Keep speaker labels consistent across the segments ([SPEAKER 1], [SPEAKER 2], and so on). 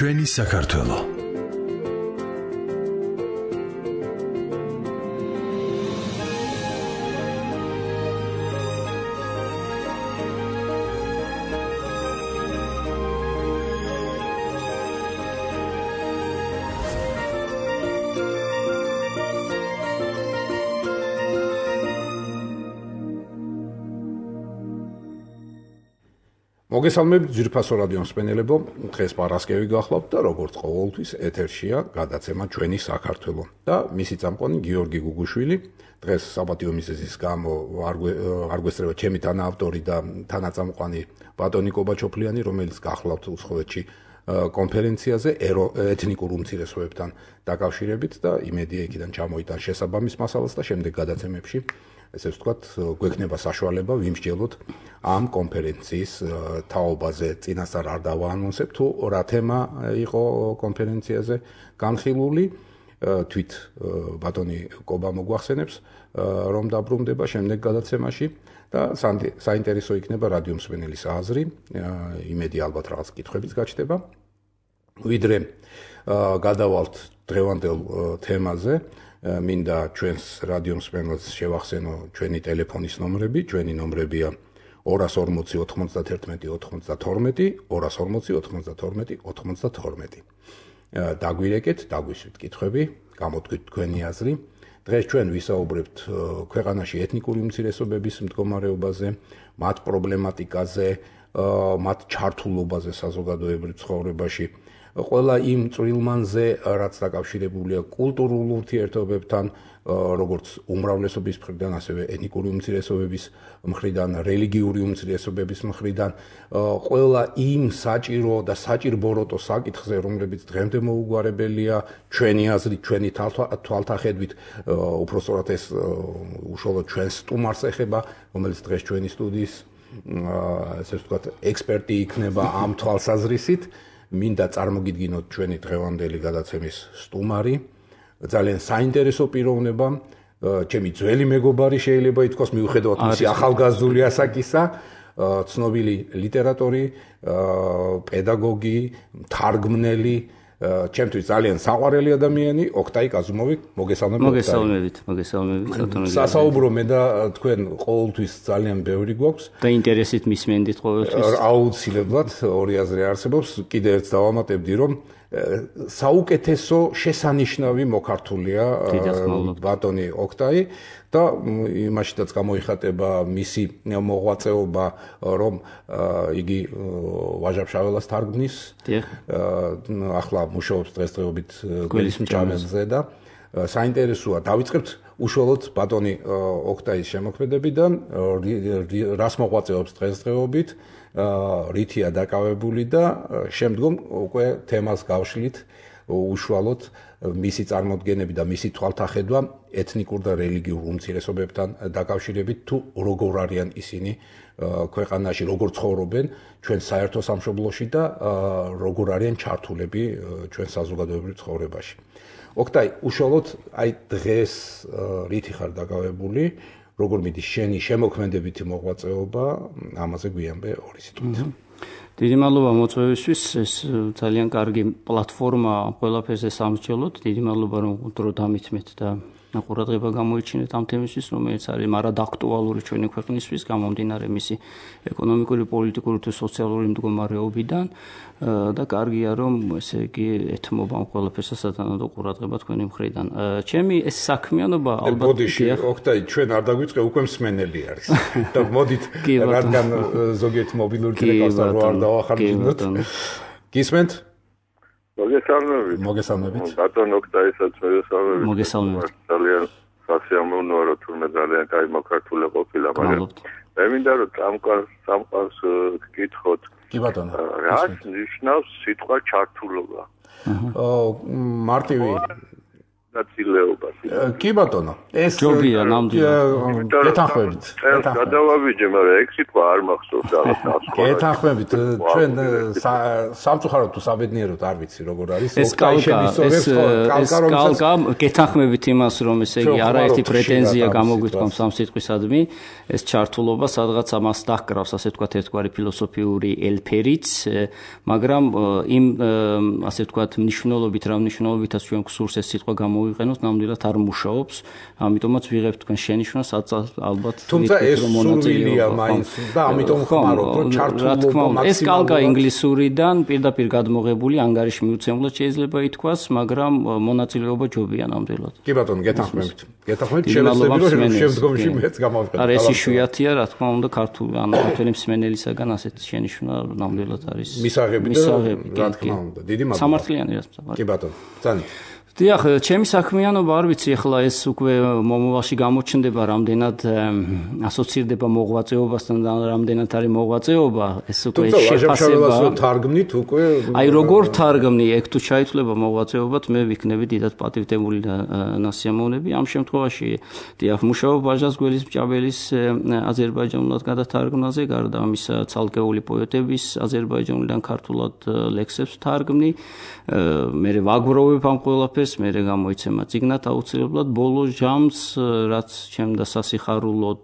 [SPEAKER 1] ჩვენი საქართველო. მოგესალმებით ძვირფასო რადიო მსმენელებო, დღეს პარასკევი გახლავთ და როგორც ყოველთვის ეთერშია გადაცემა ჩვენი საქართველო და მისი წამყვანი გიორგი გუგუშვილი. დღეს საპატიო მიზეზის გამო არ გვესწრება ჩემი თანაავტორი და თანაწამყვანი ბატონი კობაჩოფლიანი, რომელიც გახლავთ უცხოეთში კონფერენციაზე ეთნიკურ უმცირესობებთან დაკავშირებით და იმედია იქიდან ჩამოიტან შესაბამის მასალას და შემდეგ გადაცემებში ესე ვთქვათ, გვექნება საშუალება ვიმსჯელოთ ამ კონფერენციის თაობაზე. წინასწარ არ დავაანონსებ თუ რა თემა იყო კონფერენციაზე განხილული. თვით ბატონი კობა მოგვახსენებს, რომ დაბრუნდება შემდეგ გადაცემაში და საინტერესო იქნება რადიო მსმენელის აზრი. იმედი ალბათ რაღაც კითხვებიც გაჩნდება. ვიდრე გადავალთ დღევანდელ თემაზე, მინდა ჩვენს რადიო მსმენელს შევახსენო ჩვენი ტელეფონის ნომრები. ჩვენი ნომრებია 240 91 92, 240 92 92. დაგვირეკეთ, დაგვისვით კითხვები, გამოთქვით თქვენი აზრი. დღეს ჩვენ ვისაუბრებთ ქვეყანაში ეთნიკური უმცირესობების მდგომარეობაზე, მათ პრობლემატიკაზე, მათ ჩართულობაზე საზოგადოებრივ ცხოვრებაში. ყველა იმ წვრილმანზე, რაც დაკავშირებულია კულტურულ ურთიერთობებთან, როგორც უმრავლესობის მხრიდან, ასევე ეთნიკური უმცირესობების მხრიდან, რელიგიური უმცირესობების მხრიდან, ყველა იმ საჭირო და საჭირბოროტო საკითხზე, რომლებიც დღემდე მოუგვარებელია, ჩვენი აზრით, ჩვენი თვალთახედვით, უпростоრად ეს უშუალოდ ჩვენს სტუმარს ეხება, რომელიც დღეს ჩვენი სტუდიის ესე ვთქვათ, ექსპერტი იქნება ამ თვალსაზრისით. მინდა წარმოგიდგინოთ ჩვენი დღევანდელი გადაცემის სტუმარი, ძალიან საინტერესო პიროვნება, ჩემი ძველი მეგობარი შეიძლება ითქვას, მიუხედავად მისი ახალგაზრდული ასაკისა, ცნობილი ლიტერატორი, პედაგოგი, თარგმნელი, ჩემთვის ძალიან საყვარელი ადამიანი, ოქტაი კაზუმოვი, მოგესალმებით.
[SPEAKER 2] მოგესალმებით.
[SPEAKER 1] სასაუბრო მე და თქვენ ყოველთვის ძალიან ბევრი გვაქვს
[SPEAKER 2] და ინტერესით მისმენდით ყოველთვის.
[SPEAKER 1] აუცილებლად ორი აზრი არსებობს. კიდე ერთ დავამატებდი, რომ საუკეთესო შესანიშნავი მოქართულია ბატონი ოქტაი და იმაშიდაც გამოიხატება მისი მოღვაწეობა, რომ იგი ვაჟა-ფშაველას თარგმნის. ახლა მუშაობს დღესდღეობით გველის მჭამელზე და საინტერესოა. დავიწყებთ უშუალოდ ბატონი ოქტაის შემოქმედებიდან, რას მოღვაწეობს დღესდღეობით, რითია დაკავებული და შემდგომ უკვე თემას გავშლით უშუალოდ მისი წარმოდგენები და მისი თვალთახედვა ეთნიკურ და რელიგიურ უმცირესობებთან დაკავშირებით, თუ როგორ არიან ისინი ქვეყანაში, როგორ ცხოვრობენ ჩვენ საერთო სამშობლოში და როგორ არიან ჩართულები ჩვენ საზოგადოებრივ ცხოვრებაში. ოქტაი, უშუალოდ აი დღეს რითი ხარ დაკავებული, როგორ მიდის შენი შემოქმედებითი მოღვაწეობა, ამაზე გვიანბე ორი სიტყვით.
[SPEAKER 2] დიდი მადლობა მოწვევისთვის, ეს ძალიან კარგი პლატფორმა ყველაფერზე სამსჯელოთ. დიდი მადლობა რომ დრო დამითმეთ და ყურადღება გამოიჩინეთ ამ თემისთვის, რომელიც არის მარად აქტუალური ჩვენი ქვეყნისთვის, გამომდინარე მისი ეკონომიკური, პოლიტიკური თუ სოციალური მდგომარეობიდან და კარგია რომ ესე იგი ეთმობა ამ ყველაფერს სათანადო ყურადღება თქვენი მხრიდან. ჩემი ეს საქმიანობა ალბათ
[SPEAKER 1] ბოდიში, ოქტაი, ჩვენ არ დაგვიწყე, უკვე მსმენელი არის. და მოდით, რადგან ზოგიერთ მობილური ტელეფონს არ დავახარჯინოთ. გისმენთ?
[SPEAKER 3] მოგესალმებით. ბატონ ოქტაისაც მოგესალმებით.
[SPEAKER 2] მოგესალმებით.
[SPEAKER 3] ძალიან სასიამოვნოა, რომ თურმე ძალიან კაი მოქართული ყოფილა, მაგრამ მე მინდა რომ სამყაროს გკითხოთ.
[SPEAKER 1] კი ბატონო.
[SPEAKER 3] რას ნიშნავს სიტყვა ჩართულობა?
[SPEAKER 1] მარტივი
[SPEAKER 3] მონაწილეობას.
[SPEAKER 1] კი ბატონო, ეს
[SPEAKER 2] ჯობია ნამდვილად.
[SPEAKER 1] გეთანხმებით.
[SPEAKER 3] გადავავიჯე, მაგრამ ეგ სიტყვა არ მახსოვს რაღაცა.
[SPEAKER 1] გეთანხმებით, ჩვენ სამწუხაროდ თუ საბედნიეროდ არ ვიცი როგორ არის.
[SPEAKER 2] ეს კალკა გეთანხმებით იმას, რომ ესე იგი არაერთი პრეტენზია გამოგვიქვამს ამ სიტყვისადმი, ეს ჩართულობა სადღაც ამას დაჰკრავს, ასე ვთქვათ, ერთგვარი ფილოსოფიური ელფერიც, მაგრამ იმ ასე ვთქვათ მნიშვნელობით, რა მნიშვნელობითაც ჩვენ გსურს ეს სიტყვა გამოვიყენოთ, ნამდვილად არ მუშაობს, ამიტომაც ვიღებთ თქვენ შენიშვნას, ალბათ
[SPEAKER 1] თუმცა ეს სურვილია მაინც და ამიტომ ხმარობთ, რომ ჩართულობა მაქსიმალურად.
[SPEAKER 2] ეს კალკა ინგლისურიდან პირდაპირ გადმოღებული ანგარიში მიუცემლად შეიძლება ითქვას, მაგრამ მონაწილეობა ჯობია ნამდვილად.
[SPEAKER 1] კი ბატონო, გეთანხმებით. შევეცდები რომ შემდგომში მეც გამოვიყენო.
[SPEAKER 2] არა, ეს იშვიათია, რა თქმა უნდა, ქართული ქართველი მსმენელისაგან ასეთ შენიშვნა ნამდვილად არის
[SPEAKER 1] მისაღები და რა თქმა უნდა. დიდი მადლობა.
[SPEAKER 2] სამართლიანი რაც.
[SPEAKER 1] კი ბატონო, ძალიან.
[SPEAKER 2] დიახ, ჩემი საქმიანობა არ ვიცი, ახლა ეს უკვე მომავალში გამოჩნდება, რამდენად ასოცირდება მოღვაწეობასთან და რამდენად არის მოღვაწეობა, ეს უკვე
[SPEAKER 1] შეფასება. თარგმნით უკვე.
[SPEAKER 2] აი, როგორ თარგმნი, ეგ თუ ჩაითვლება მოღვაწეობად, მე ვიქნები დიდად პატივდებული და ნასიამოვნები. ამ შემთხვევაში, დიახ, მუშაობ ბაჟას გველის მჭაბელის აზერბაიჯანულად გადათარგმნაზე, გარდა ამისა ცალკეული პოეტების აზერბაიჯანულიდან ქართულად ლექსებს თარგმნი. მე ვაგროვებ ამ ყველაფერს, მე გამოიცემა წიგნად აუცილებლად ბოლო ჟამს, რაც ჩემდა სასიხარულოდ,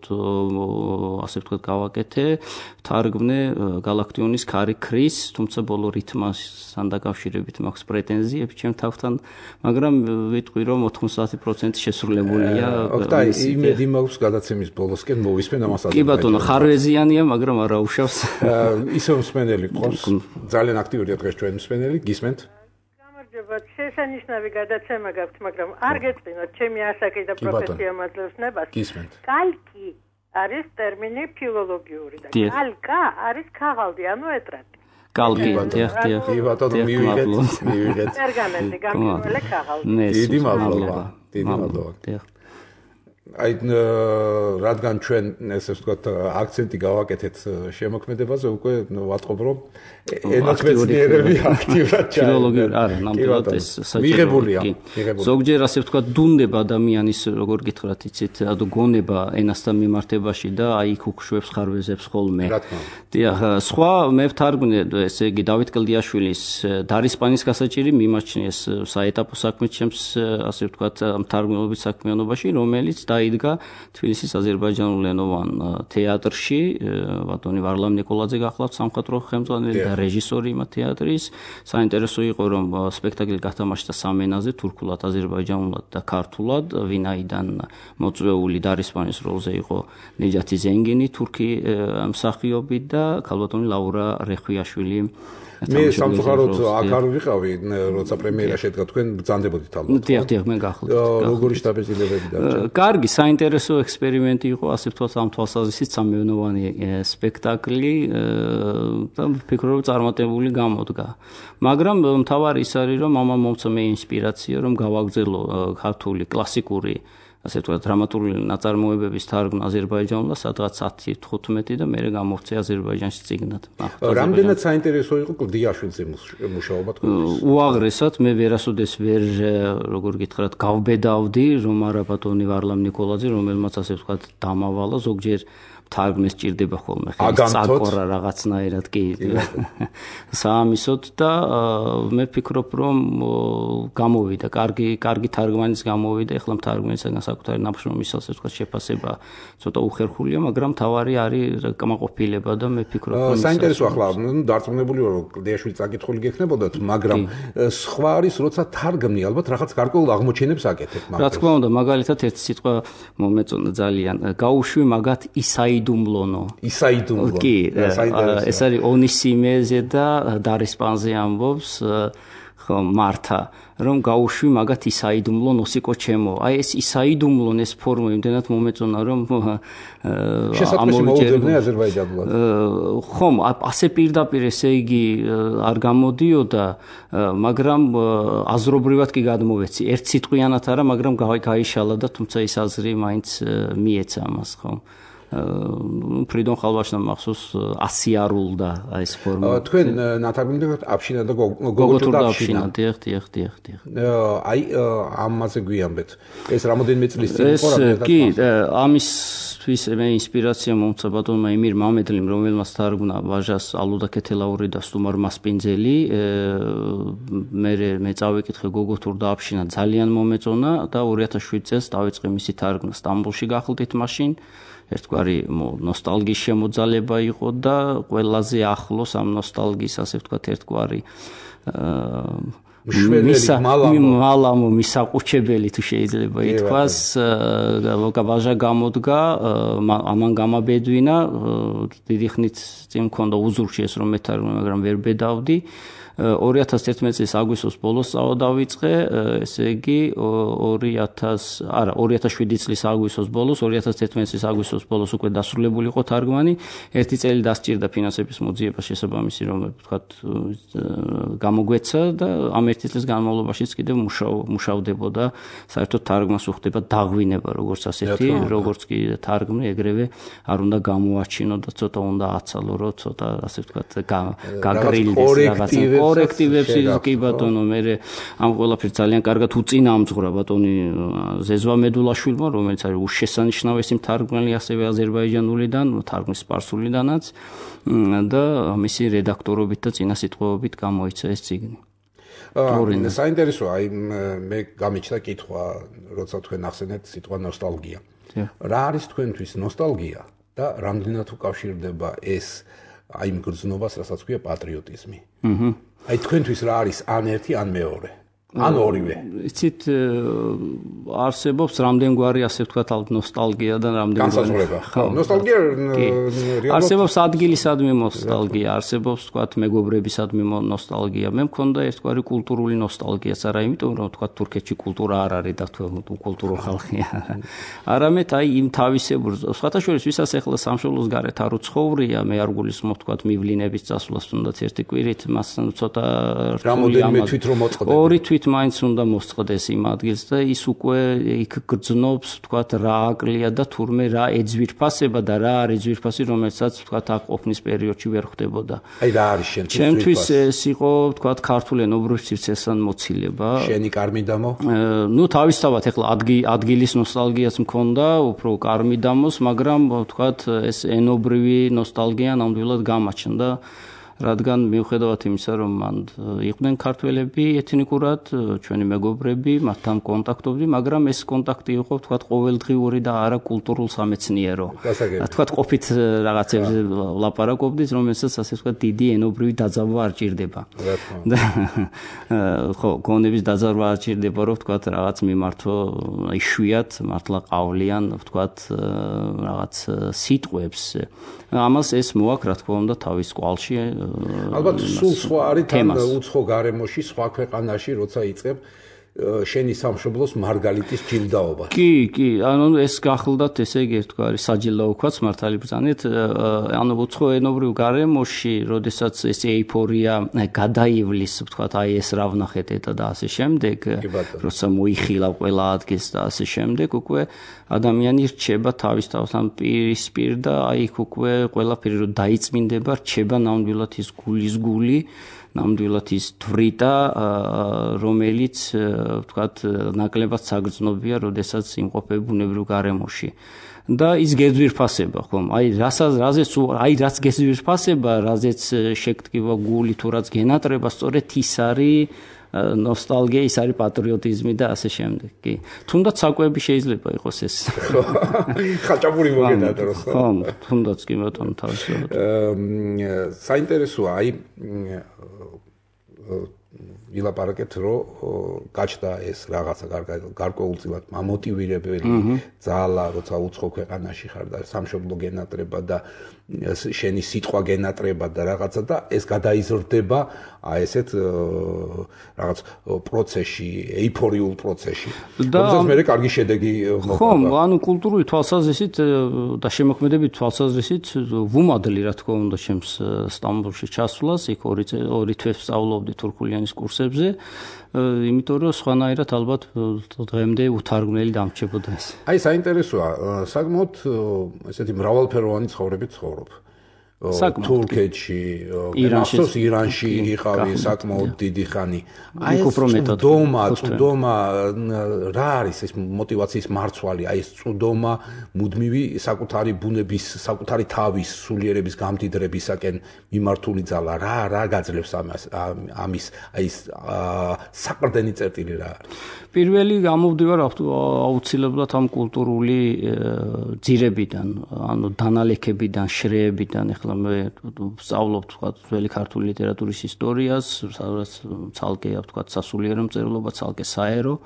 [SPEAKER 2] ასე ვთქვათ, გავაკეთე, თარგმნე გალაქტიონის ქარი ქრის, თუმცა ბოლო რითმასთან დაკავშირებით მაქვს პრეტენზიები ჩემ თავთან, მაგრამ ვიტყვი, რომ 90% შესრულებულია.
[SPEAKER 1] ოკტაი, იმედი მაქვს გადაცემის ბოლოსკენ მოვისმენ ამას.
[SPEAKER 2] კი ბატონო, ხარვეზიანია, მაგრამ არა უშავს.
[SPEAKER 1] ისევ მსმენელი ყავს, ძალიან აქტიურია დღეს ჩვენ მსმენელი, გისმენთ?
[SPEAKER 4] შესანიშნავი გადაცემა გაქვთ, მაგრამ არ გეწყინოთ ჩემი ასაკი და პროფესია მაძლევს ნებას. კალკი არის ტერმინი ფილოლოგიური და კალკა არის ქაღალდი, ანუ ეტრატი.
[SPEAKER 2] კალკი, დიახ.
[SPEAKER 1] კი ბატონო, მივიღეთ.
[SPEAKER 4] პერგამენტი, გამყინველი ქაღალდი.
[SPEAKER 1] დიდი მადლობა. დიდი მადლობა.
[SPEAKER 2] დიახ.
[SPEAKER 1] აი რადგან ჩვენ ესე ვთქვათ აქცენტი გავაკეთეთ შემოქმედებაზე, უკვე ვატყობ რომ ენათმეცნიერები აქტიურად
[SPEAKER 2] ფილოლოგიური არა, ნამდვილად ეს
[SPEAKER 1] მიღებულია.
[SPEAKER 2] ზოგჯერ ასე ვთქვათ დუნდება ადამიანის, როგორ გითხრათ, იცით, გონება ენასთან მიმართებაში და აი იქ უხშვებს ხარვეზებს ხოლმე. დიახ, სხვა მე ვთარგმნე, ესე იგი დავით კლდიაშვილის დარისპანის გასაჭირი მიმაჩნიეს საეტაპო საქმე ჩემს, ასე ვთქვათ, მთარგმნელობის საქმიანობაში, რომელიც დაიდგა თბილისის აზერბაიჯანულენოვან თეატრში, ბატონი ვარლამ ნიკოლაძე გახლავთ სამხატვრო ხელმძღვანელი და რეჟისორი იმ თეატრის. საინტერესო იყო, რომ სპექტაკლი გათამაშდა სამ ენაზე, თურქულად, აზერბაიჯანულად და ქართულად, ვინაიდან მოწვეული დარისპანის როლზე იყო ნეჯათი ზენგინი, თურქი მსახიობი და ქალბატონი ლაურა რეხვიაშვილი.
[SPEAKER 1] მე სამწუხაროდ აქ არ ვიყავი, როცა პრემიერა შედგა, თქვენ ბრძანდებოდით ალბათ.
[SPEAKER 2] დიახ, მე გახლავთ.
[SPEAKER 1] როგორი შტაბეჭდილებები დარჩა?
[SPEAKER 2] კარგი, საინტერესო ექსპერიმენტი იყო, ასე ვთქვათ, ამ თვალსაზრისით სამეონოვანი სპექტაკლი და ვფიქრობ, რომ წარმატებული გამოდგა. მაგრამ მთავარი ის არის, რომ ამან მომცა მე ინსპირაცია, რომ გავაგრძელო ქართული კლასიკური ასე ვთქვათ, დრამატული ნაწარმოებების თარგმნა აზერბაიჯანულად, სადღაც 10-15 და მე გამოვწე აზერბაიჯანში წიგნად.
[SPEAKER 1] რამდენად საინტერესო იყო კლდიაშვილზე მუშაობა თქვენთვის?
[SPEAKER 2] უაღრესად, მე ვერასოდეს ვერ, როგორ გითხრათ, გავბედავდი, რომ არა ბატონი ვარლამ ნიკოლაძე, რომელმაც ასე ვთქვათ, დამავალა ზოგჯერ თარგმნეს ჭირდება ხოლმე ხელის წაკორა რაღაცნაირად კი საამისოდ და მე ვფიქრობ რომ გამოვიდა კარგი თარგმანის გამოვიდა ეხლა თარგმანისგან საკუთარი ნაფშრომის ასე ვთქვათ შეფასება ცოტა უხერხულია მაგრამ თავარი არის კმაყოფილება და მე ვფიქრობ რომ
[SPEAKER 1] საინტერესო ახლა დარწმუნებული ვარ რომ კლდიაშვილი წაკითხული გექნებოდათ მაგრამ სხვა არის როცა თარგმნი ალბათ რაღაც გარკვეულ აღმოჩენებს აკეთებ
[SPEAKER 2] მაგას რა თქმა უნდა მაგალითად ერთი სიტყვა მომეწონა ძალიან გაუშვი მაგათ ისაიდუმლონო კი ეს არის ონისიმეზე და დარისპანზე ამბობს მართა რომ გაუშვი მაგათ ისაიდუმლონ ოსიკო ჩემო აი ეს ისაიდუმლონ ეს ფორმა იმდენად მომეწონა რომ
[SPEAKER 1] ამოვიჭერდნენ აზერბაიჯანულად
[SPEAKER 2] ხომ ასე პირდაპირ ესე იგი არ გამოდიოდა მაგრამ აზრობრივად კი გადმოვეცი ერთ სიტყვიანად არა მაგრამ გაიშალა და თუმცა ის აზრი მაინც მიეცა ამას ხომ ფრიდონ ხალვაშმა მახსოვს 100 არულდა აი ეს ფორმა.
[SPEAKER 1] თქვენ ნათარგმნით აფშინა და გოგოთურდა აფშინა.
[SPEAKER 2] დიახ.
[SPEAKER 1] აი ამაზე გვიამბეთ. ეს რამოდენიმე წლის წინ იყო რა?
[SPEAKER 2] კი, ამისთვის მე ინსპირაცია მომცა ბატონმა ემირ მამედლიმ, რომელმაც თარგმნა ვაჟას ალუდა ქეთელაური და სტუმარ მასპინძელი. მე წავიკითხე გოგოთურდა აფშინა, ძალიან მომეწონა და 2007 წელს დავიწყე მისი თარგმნა. სტამბოლში გახლდით მაშინ. ერთგვარი ნოსტალგიის შემოძალება იყო და ყველაზე ახლოს ამ ნოსტალგიის ასე ვთქვათ ერთგვარი მალამო მისაყუჩებელი თუ შეიძლება ითქვას ვაჟა გამოდგა ამან გამაბედვინა დიდი ხნით წინ მქონდა უზურში ეს რომ მეთარგმნე მაგრამ ვერ ბედავდი 2011 წლის აგვისტოს ბოლოს წავიდავიწყე, ესე იგი 2007 წლის აგვისტოს ბოლოს, 2011 წლის აგვისტოს ბოლოს უკვე დასრულებული იყო თარგმანი. ერთი წელი დასჭირდა ფინანსების მოძიება შესაბამისი, რომ ვთქვათ, გამოგვეცა და ამ ერთი წლის განმავლობაშიც კიდევ მუშავდებოდა, საერთოდ თარგმანს უხდება დაღვინება, როგორც ასეთი, როგორც კი თარგმნი, ეგრევე არ უნდა გამოაჩინო და ცოტა უნდა აცალო, რომ ცოტა ასე ვთქვათ, გაგრილდეს რაღაცა კორექტივებს კი ბატონო მე ამ ყველაფერს ძალიან კარგად უწინაამძღვრა ბატონი ზეზვა მედულაშვილმა რომელიც არის უშესანიშნავესი მთარგმნელი ასევე აზერბაიჯანულიდან თარგმნის სპარსულიდანაც და მისი რედაქტორობით და წინასიტყვებით გამოიცა ეს წიგნი
[SPEAKER 1] საინტერესოა აი მე გამიჩნდა კითხვა როცა თქვენ ახსენეთ სიტყვა ნოსტალგია რა არის თქვენთვის ნოსტალგია და რამდენად უკავშირდება ეს აი იმ გრძნობას რასაც ქვია პატრიოტიზმი აი თქვენთვის რა არის ან ერთი ან მეორე ან ორივე
[SPEAKER 2] იცით არსებობს რამდენგვარი ასე ვთქვათ ნოსტალგია და რამდენგვარი
[SPEAKER 1] ნოსტალგია
[SPEAKER 2] არსებობს ადგილისადმი ნოსტალგია არსებობს ვთქვათ მეგობრებისადმი ნოსტალგია მე მქონდა ერთგვარი კულტურული ნოსტალგიაც არა იმიტომ რომ ვთქვათ თურქეთში კულტურა არ არის და კულტურული ხალხია არამედ აი იმ თავისებურ სხვათა შორის ვისაც ახლა სამშობლოს გარეთ არ უცხოვრია მე არ გულისხმობ ვთქვათ მივლინების წასვლას თუნდაც ერთი კვირით მას ცოტა რთული
[SPEAKER 1] ამას თვით რომ მოწყდება
[SPEAKER 2] ორი თვით მაინც უნდა მოსწყდეს იმ ადგილს და ის უკვე იქ გრძნობს ვთქვათ რა აკლია და თურმე რა ეძვირფასება და რა არის ძვირფასი რომელსაც ვთქვათ აქ ყოფნის პერიოდში ვერ ხდებოდა
[SPEAKER 1] აი რა არის
[SPEAKER 2] ჩემთვის ეს იყო ვთქვათ ქართულ ენობრივ სივრცესთან მოცილება
[SPEAKER 1] შენი კარმიდამო
[SPEAKER 2] ნუ თავისთავად ახლა ადგილის ნოსტალგიაც მქონდა უფრო კარმიდამოს მაგრამ ვთქვათ ეს ენობრივი ნოსტალგია ნამდვილად გამაჩნდა რადგან მიუხედავად იმისა, რომ მან იყვნენ ქართველები ეთნიკურად, ჩვენი მეგობრები, მათთან კონტაქტობდი, მაგრამ ეს კონტაქტი იყო, ვთქვათ, ყოველდღიური და არა კულტურულ სამეცნიერო. ვთქვათ, ყოფით რაღაცებზე ლაპარაკობდით, რომელსაც ასე ვთქვათ, დიდი ენობრივი დაძაბვა არ ჭირდება. ხო, გონების დაძაბვა არ ჭირდება, რომ ვთქვათ, რაღაც მიმართო იშვიათ, მართლა ყავლიან, ვთქვათ, რაღაც სიტყვებს. ამას ეს მოაქვს, რა თქმა უნდა, თავის კვალში
[SPEAKER 1] ალბათ სულ სხვა არის თან უცხო გარემოში სხვა ქვეყანაში როცა იწყებ შენი სამშობლოს მარგალიტის ჯილდაობა
[SPEAKER 2] კი ანუ ეს გახლდათ ესე იგი თქვა საჯილდაოქვაც მართალი ბრძანეთ ანუ უცხო ენობრივ გარემოში როდესაც ეს ეიფორია გადაივლის ვთქვათ აი ეს რა ვნახეთ ეტა და ასე შემდეგ როცა მოიხილა ყველა ადგილს და ასე შემდეგ უკვე ადამიანი რჩება თავისთავად პირისპირ და აი იქ უკვე ყველაფერი რომ დაიწმინდება რჩება ნამდვილად ის გულის გული ნამდვილად ის თვრიტა რომელიც ვთქვათ ნაკლებად საგრძნობია როდესაც იმყოფება ბუნებრივ გარემოში და ის გეზვირფასება ხომ აი რაც გეზვირფასება რაზეც შეკრება გული თუ რაც გენატრება სწორედ ის არის ნოსტალგია ის არის პატრიოტიზმი და ასე შემდეგ კი თუნდაც საკვები შეიძლება იყოს ეს
[SPEAKER 1] ხაჭაპური მოგედარო
[SPEAKER 2] ხო თუნდაც კი ბატონო თავისუფლად
[SPEAKER 1] საინტერესოა აი ვილაპარაკეთ რომ გაჩნდა ეს რაღაცა გარკვეულწილად მამოტივირებელი ძალა როცა უცხო ქვეყანაში ხარ და სამშობლო გენატრება და შენი სიტყვა გენატრება და რაღაცა და ეს გადაიზრდება აი ესეთ რაღაც პროცესში ეიფორიულ პროცესში რომელსაც მე კარგი შედეგი მოყვა
[SPEAKER 2] ხო ანუ კულტურული თვალსაზრისით და შემოქმედებით თვალსაზრისით ვუმადლი რა თქმა უნდა ჩემს სტამბოლში ჩასვლას იქ ორი თვეს სწავლობდი თურქულიანის კურსებზე საკითხებზე, იმიტომ რომ სხვანაირად ალბათ დღემდე უთარგმნელი დამრჩებოდა ეს.
[SPEAKER 1] აი საინტერესოა, საკმაოდ ესეთი მრავალფეროვანი ცხოვრებით ცხოვრობ. თურქეთში, ირანში იყავი საკმაოდ დიდი ხანი. აი წვდომა რა არის ეს мотиваციის მარცვალი, აი ეს წვდომა მუდმივი საკუთარი ბუნების, საკუთარი თავის სულიერების გამდიდრებისაკენ მიმართული ძალა, რა გაძლევს ამის აი ეს საყრდენი წერტილი რა არის?
[SPEAKER 2] პირველი გამოვდივარ აუცილებლად ამ კულტურული ძირებიდან, ანუ დანალექებიდან, შრეებიდან. ეხლა მე ვსწავლობ თქვა ძველი ქართული ლიტერატურის ისტორიას, სადაც ცალკე თქვა სასულიერო მწერლობა, ცალკე საერო.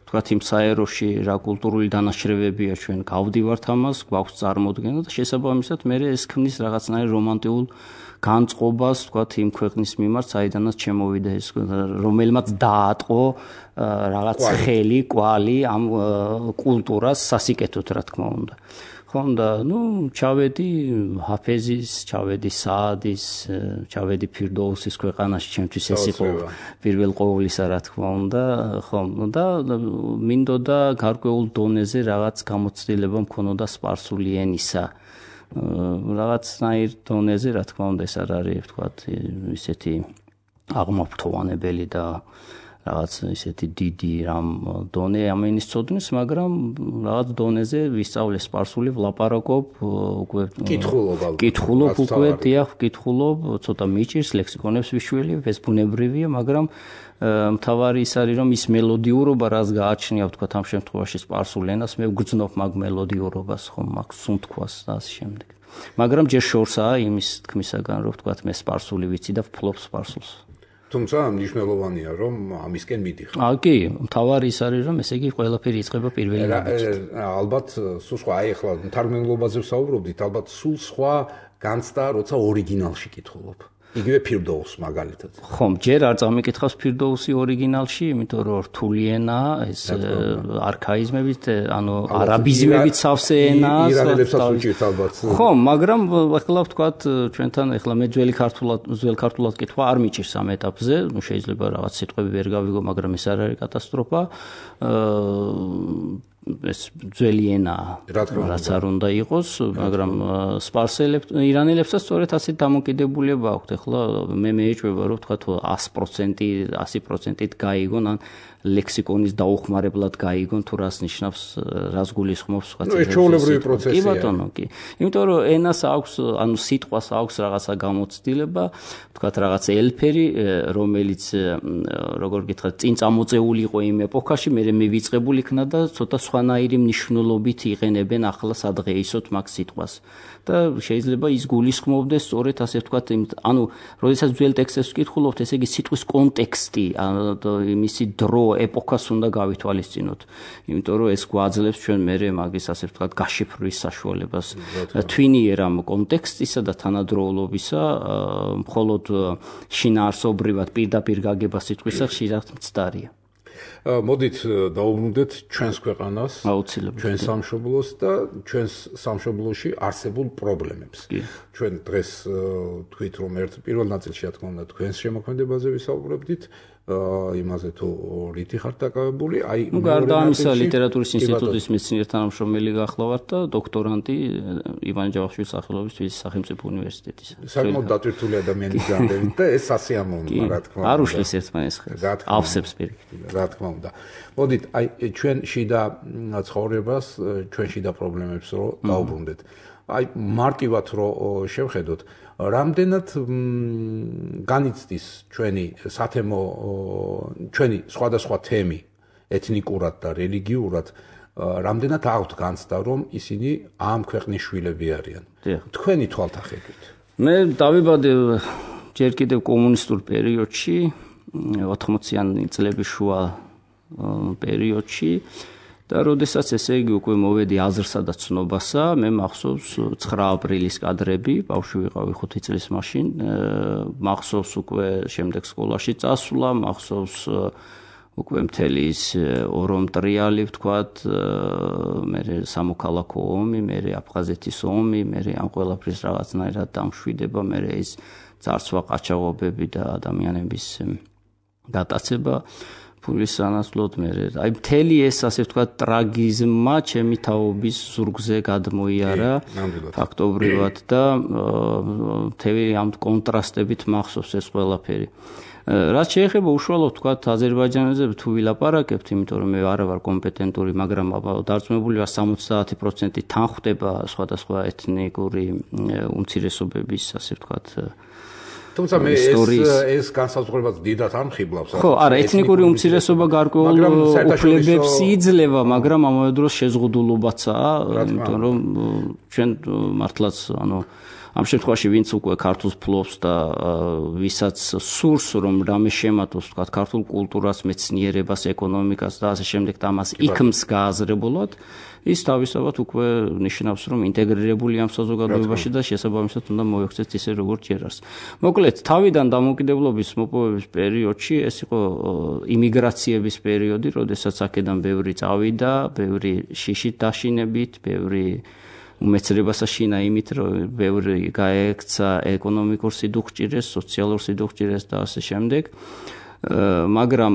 [SPEAKER 2] თქვა იმ საეროში რა კულტურული დანაშრევებია ჩვენ გავდივართ ამას, გვაქვს წარმოდგენა და შესაბამისად მე ეს ქმნის რაღაცნაირ რომანტიულ განწყობას, თქვა იმ ქვეყნის მიმართ, საიდანაც შემოვიდა ეს, რომელმაც დაატყო რაღაც ხელი, კვალი ამ კულტურას სასიკეთოდ, რა თქმა უნდა. ხონდა, ჩავედი ჰაფეზის, ჩავედი საადის, ჩავედი ფირდოუსის ქვეყანაში, ჩემთვის ეს იყო პირველ ყოვლისა, რა თქმა უნდა, ხომ, და მინდოდა გარკვეულ დონეზე რაღაც გამოცდილება მქონოდა სპარსული ენისა. რაღაცნაირ დონეზე, რა თქმა უნდა, ეს არ არის, ვთქვათ, ისეთი აღმაფრთოვანებელი და რაღაც ისეთი დიდი რამ დონე ამ ენის ცოდნის, მაგრამ რაღაც დონეზე ვისწავლე სპარსული, ვლაპარაკობ, უკვე კითხულობ უკვე, დიახ, ვკითხულობ, ცოტა მიჭირს, ლექსიკონებს ვიშველებ, ეს ბუნებრივია, მაგრამ მთავარი ის არის, რომ ის მელოდიურობა, რაც გააჩნია, ვთქვათ, ამ შემთხვევაში სპარსულ ენას, მე ვგრძნობ მაგ მელოდიურობას, ხომ, მაგ სუნთქვას და ასე შემდეგ. მაგრამ ჯერ შორსაა იმის თქმისაგან, რომ ვთქვათ, მე სპარსული ვიცი და ვფლობ სპარსულს.
[SPEAKER 1] თუმცა მნიშვნელოვანია, რომ ამისკენ მიდიხარ.
[SPEAKER 2] კი, მთავარი ის არის, რომ ესე იგი ყველაფერი იწყება პირველი ნაბიჯით.
[SPEAKER 1] ალბათ სულ სხვა, აი ახლა მთარგმნელობაზე ვსაუბრობდით, ალბათ სულ სხვა განცდა, როცა ორიგინალში კითხულობ. იგივე ფირდოუს მაგალითად.
[SPEAKER 2] ხომ, ჯერ არ წამიკითხავს ფირდოუსი ორიგინალში, იმიტომ რომ რთული ენაა, ეს არქაიზმებით, ანუ არაბიზმებით სავსე ენაა.
[SPEAKER 1] ირანელებსაც უჭირთ ალბათ.
[SPEAKER 2] ხომ, მაგრამ ახლა ვთქვათ, ჩვენთან ახლა მე ძველ ქართულად კითხვა არ მიჭირს ამ ეტაპზე, შეიძლება რაღაც სიტყვები ვერ გავიგო, მაგრამ ეს არ არის კატასტროფა. ეს ძველი ენაა, რაც არ უნდა იყოს, მაგრამ ირანელებსაც სწორედ ასეთ დამოკიდებულება აქვთ. ახლა მე მეეჭვება, რომ ვთქვათ 100%-ით გაიგონ, ან ლექსიკონის დაუხმარებლად გაიგონ, თუ რას ნიშნავს, რას გულისხმობს სხვა
[SPEAKER 1] ეს ჩვეულებრივი პროცესია.
[SPEAKER 2] კი ბატონო, კი. იმიტომ რომ ენას აქვს, ანუ სიტყვას აქვს რაღაცა გამოცდილება, ვთქვათ რაღაც ელფერი, რომელიც როგორ გითხრათ, წინ წამოწეული იყო იმ ეპოქაში, მე მივიწყებული იქნა და ცოტა სხვანაირი მნიშვნელობით იყენებენ ახლა სადღეისოდ მაგ სიტყვას. და შეიძლება ის გულისხმობდეს სწორედ ასე ვთქვათ, ანუ როდესაც ძველ ტექსტებს ვკითხულობთ, ესე იგი სიტყვის კონტექსტი, მისი დრო, ეპოქას უნდა გავითვალისწინოთ. იმიტომ რომ ეს გვაძლევს ჩვენ მერე მაგის ასე ვთქვათ გაშიფრვის საშუალებას. თვინიერ ამ კონტექსტისა და თანადროულობისა, მხოლოდ შინაარსობრივად პირდაპირ გაგება სიტყვისა ხშირად მცდარია.
[SPEAKER 1] მოდით დავუბრუნდეთ ჩვენს ქვეყანას,
[SPEAKER 2] აუცილებლად
[SPEAKER 1] ჩვენს სამშობლოს და ჩვენს სამშობლოში არსებულ პრობლემებს. ჩვენ დღეს თქვით, რომ პირველ ნაწილში, რა თქმა უნდა, თქვენს შემოქმედებაზე ვისაუბრებდით, იმაზე თუ რითი ხართ დაკავებული, აი
[SPEAKER 2] გარდა ამისა ლიტერატურის ინსტიტუტის მეცნიერ თანამშრომელი გახლავართ და დოქტორანტი ივანე ჯავახიშვილის სახელობის თბილისის სახელმწიფო უნივერსიტეტისა.
[SPEAKER 1] საკმაოდ დატვირთული ადამიანის განდევით და ეს სასიამოვნოა, რა თქმა უნდა.
[SPEAKER 2] არ უშლის ერთმანეთს ხელს. ავსებს პირიქით.
[SPEAKER 1] რა თქმა უნდა. მოდით, აი ჩვენ შიდა ცხოვრებას, ჩვენ შიდა პრობლემებს რო დავუბრუნდეთ. აი მარტივად რო შევხედოთ, რამდენად განიცდის ჩვენი სათემო, ჩვენი სხვადასხვა თემი ეთნიკურად და რელიგიურად, რამდენად აქვთ განცდა, რომ ისინი ამ ქვეყნის შვილები არიან. თქვენი თვალთახედვით.
[SPEAKER 2] მე დავიბადე ჯერ კიდევ კომუნისტურ პერიოდში, 80-იანი წლების შუა პერიოდში. და როდესაც ესე იგი უკვე მოვედი აზრსა და ცნობასა, მე მახსოვს 9 აპრილის კადრები, ბავშვი ვიყავი 5 წლის მაშინ, მახსოვს უკვე შემდეგ სკოლაში წასვლა, მახსოვს უკვე მთელი ის ორომტრიალი, ვთქვათ, მე სამოქალაქო ომი, მე აფხაზეთის ომი, მე ამ ყველაფრის რაღაცნაირად დამშვიდება, მე ის ძარცვა, ყაჩაღობები და ადამიანების გატაცება ფულის სანაცვლოდ მე აი მთელი ეს ასე ვთქვათ ტრაგიზმმა ჩემი თაობის ზურგზე გადმოიარა ფაქტობრივად და მთელი ამ კონტრასტებით მახსოვს ეს ყველაფერი რაც შეეხება უშუალოდ ვთქვათ აზერბაიჯანზე თუ ვილაპარაკებთ იმიტომ რომ მე არ ვარ კომპეტენტური მაგრამ დარწმუნებული ვარ 70% თან ხვდება სხვადასხვა ეთნიკური უმცირესობების ასე ვთქვათ
[SPEAKER 1] თუმცა მე ეს განსაზღვრებაც დიდად ამხიბლავს
[SPEAKER 2] ხო არა ეთნიკური უმცირესობა გარკვეულ უფლებებს იძლევა მაგრამ ამავე დროს შეზღუდულობაცაა იმიტომ რომ ჩვენ მართლაც ამ შემთხვევაში ვინც უკვე ქართულს ფლობს და ვისაც სურს რომ რამე შემატოს თქვა ქართულ კულტურას, მეცნიერებას, ეკონომიკას და ასე შემდეგ და ამას იქმს გააზრებულად ის თავისთავად უკვე ნიშნავს რომ ინტეგრირებული ამ საზოგადოებაში და შესაბამისად უნდა მოექცეთ ისე როგორც ჯერას. მოკლედ თავიდან დამოუკიდებლობის მოპოვების პერიოდში ეს იყო იმიგრაციების პერიოდი, როდესაც აქედან ბევრი წავიდა, ბევრი შიშით დაშინებით, ბევრი უმეცრებას აშინა იმით, რომ ბევრი გაექცა ეკონომიკურ სიდუხჭირეს, სოციალურ სიდუხჭირეს და ასე შემდეგ. მაგრამ